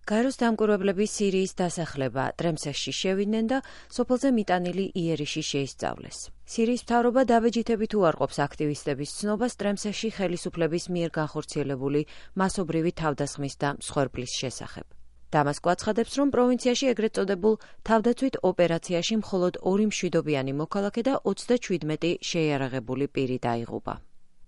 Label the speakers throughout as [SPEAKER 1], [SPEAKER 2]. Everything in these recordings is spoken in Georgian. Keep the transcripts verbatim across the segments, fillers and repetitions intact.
[SPEAKER 1] გაეროს დამკვირვებლები სირიის დასახლება ტრემსეში შევიდნენ და სოფელზე მიტანილი იერიში შეისწავლეს. სირიის მთავრობა დაბეჯითებით უარყოფს აქტივისტების ცნობას ტრემსეში ხელისუფლების მიერ განხორციელებული მასობრივი თავდასხმის და მსხვერპლის შესახებ. დამასკო აცხადებს, რომ პროვინციაში ეგრეთ წოდებულ თავდაცვით ოპერაციაში მხოლოდ ორი მშვიდობიანი მოქალაქე და ოცდაჩვიდმეტი შეიარაღებული პირი დაიღუპა.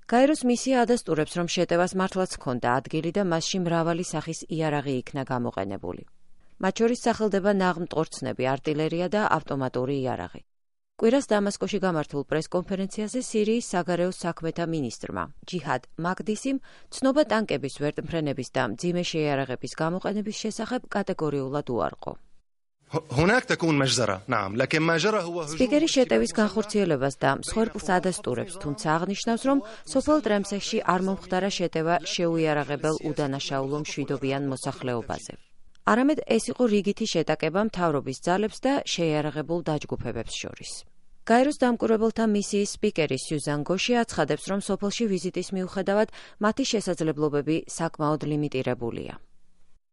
[SPEAKER 1] გაეროს მისია ადასტურებს, რომ შეტევას მართლაც ჰქონდა ადგილი და მასში მრავალი სახის იარაღი იქნა გამოყენებული. მათ შორის სახელდება ნაღმტყორცნები, არტილერია და ავტომატური იარაღი. კვირას დამასკოში გამართულ პრესკონფერენციაზე სირიის საგარეო საქმეთა მინისტრმა ჯიჰად მაგდისიმ ცნობა ტანკების ვერტმფრენების და მძიმე შეიარაღების გამოყენების შესახებ კატეგორიულად უარყო. სპიკერი შეტევის განხორციელებას და მსხვერპლს ადასტურებს, თუმცა აღნიშნავს, რომ სოფელ ტრემსეში არ მომხდარა შეტევა შეუიარაღებელ უდანაშაულო მშვიდობიან მოსახლეობაზე. არამედ ეს იყო რიგითი შეტაკება მთავრობის ძალებს და შეიარაღებულ დაჯგუფებებს შორის. გაეროს დამკვირვებელთა მისიის სპიკერი სიუზან გოში აცხადებს, რომ სოფელში ვიზიტის მიუხედავად მათი შესაძლებლობები საკმაოდ ლიმიტირებულია.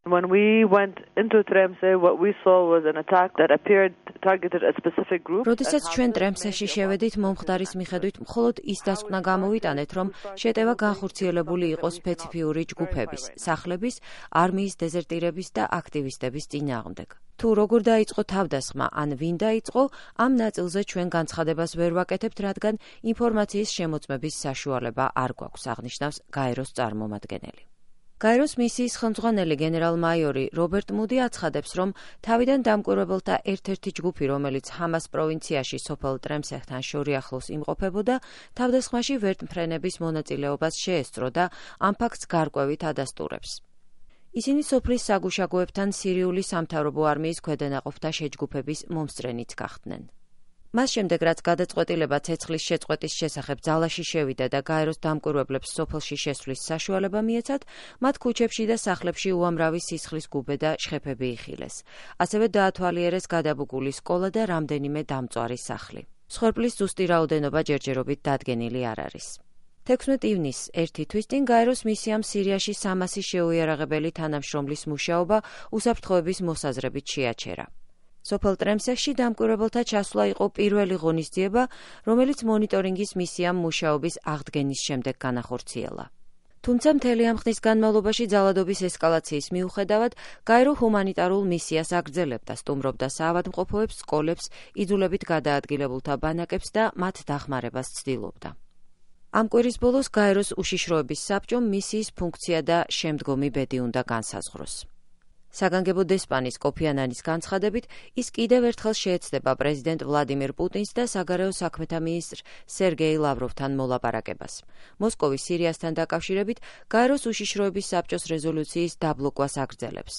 [SPEAKER 2] When we went into Tremse, what we saw was an attack that appeared targeted a specific group.
[SPEAKER 1] როდესაც ჩვენ ტრემსეში შევედით, მომხდარის მიხედვით მხოლოდ ის დასკვნა გამოვიტანეთ, რომ შეტევა განხორციელებული იყო სპეციფიური ჯგუფების, სახლების, არმიის დეზერტირების და აქტივისტების წინააღმდეგ. თუ როგორ დაიწყო თავდასხმა, ან ვინ დაიწყო, ამ ნაწილზე ჩვენ განცხადებას ვერ ვაკეთებთ, რადგან ინფორმაციის შემოწმების საშუალება არ გვაქვს, აღნიშნავს გაეროს წარმომადგენელი. გაეროს მისიის ხელმძღვანელი გენერალ-მაიორი რობერტ მუდი აცხადებს, რომ თავიდან დამკვირვებელთა ერთ-ერთი ჯგუფი, რომელიც ჰამას პროვინციაში სოფელ ტრემსეხთან შორიახლოს იმყოფებოდა, თავდასხმაში ვერტმფრენების მონაწილეობას შეესწრო და ამ ფაქტს გარკვევით ადასტურებს. ისინი სოფლის საგუშაგოებთან სირიული სამთავრობო არმიის ქვედანაყოფთა შეჯგუფების მომსწრენიც გახდნენ. მას შემდეგ, რაც გადაწყვეტილება ცეცხლის შეწყვეტის შესახებ ძალაში შევიდა და გაეროს დამკვირვებლებს სოფელში შესვლის საშუალება მიეცათ, მათ ქუჩებში და სახლებში უამრავი სისხლის გუბე და შხეფები იხილეს. ასევე დაათვალიერეს გადაბუგული სკოლა და რამდენიმე დამწვარი სახლი. მსხვერპლის ზუსტი რაოდენობა ჯერჯერობით დადგენილი არ არის. თექვსმეტი ივნისს ერთი თვის წინ გაეროს მისიამ სირიაში სამასი შეუიარაღებელი თანამშრომლის მუშაობა უსაფრთხოების მოსაზრებით შეაჩერა. სოფელ ტრემსეში დამკვირვებელთა ჩასვლა იყო პირველი ღონისძიება, რომელიც მონიტორინგის მისიამ მუშაობის აღდგენის შემდეგ განახორციელა. თუმცა მთელი ამ ხნის განმავლობაში ძალადობის ესკალაციის მიუხედავად, გაერო ჰუმანიტარულ მისიას აგრძელებდა, სტუმრობდა საავადმყოფოებს, სკოლებს, იძულებით გადაადგილებულთა ბანაკებს და მათ დახმარებას ცდილობდა. ამ კვირის ბოლოს გაეროს უშიშროების საბჭომ მისიის ფუნქცია და შემდგომი ბედი უნდა განსაზღვროს. საგანგებო დესპანის კოფი ანანის განცხადებით, ის კიდევ ერთხელ შეეცდება პრეზიდენტ ვლადიმირ პუტინს და საგარეო საქმეთა მინისტრ სერგეი ლავროვთან მოლაპარაკებას. მოსკოვი სირიასთან დაკავშირებით გაეროს უშიშროების საბჭოს რეზოლუციის დაბლოკვას აგრძელებს.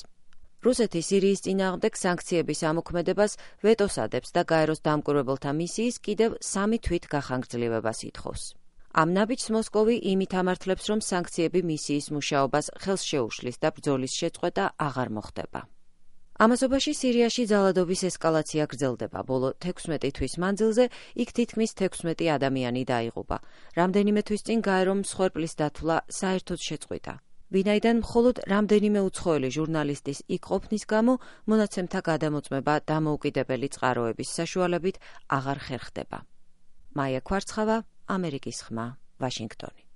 [SPEAKER 1] რუსეთი სირიის წინააღმდეგ სანქციების ამოქმედებას ვეტოს ადებს და გაეროს დამკვირვებელთა მისიის კიდევ სამი თვით გახანგრძლივებას ითხოვს. ამ ნაბიჯს მოსკოვი იმით ამართლებს, რომ სანქციები მისიის მუშაობას ხელს შეუშლის და ბრძოლის შეწყვეტა აღარ მოხდება. ამასობაში სირიაში ძალადობის ესკალაცია გრძელდება. ბოლო თექვსმეტი თვის მანძილზე იქ თითქმის თექვსმეტი ადამიანი დაიღუპა. რამდენიმე თვის წინ გაერომ მსხვერპლის დათვლა საერთოდ შეწყვიტა. ვინაიდან მხოლოდ რამდენიმე უცხოელი ჟურნალისტის იქ ყოფნის გამო მონაცემთა გადამოწმება დამოუკიდებელი წყაროების საშუალებით აღარ ხერხდება. მაია ქვარცხავა, ამერიკის ხმა, ვაშინგტონი.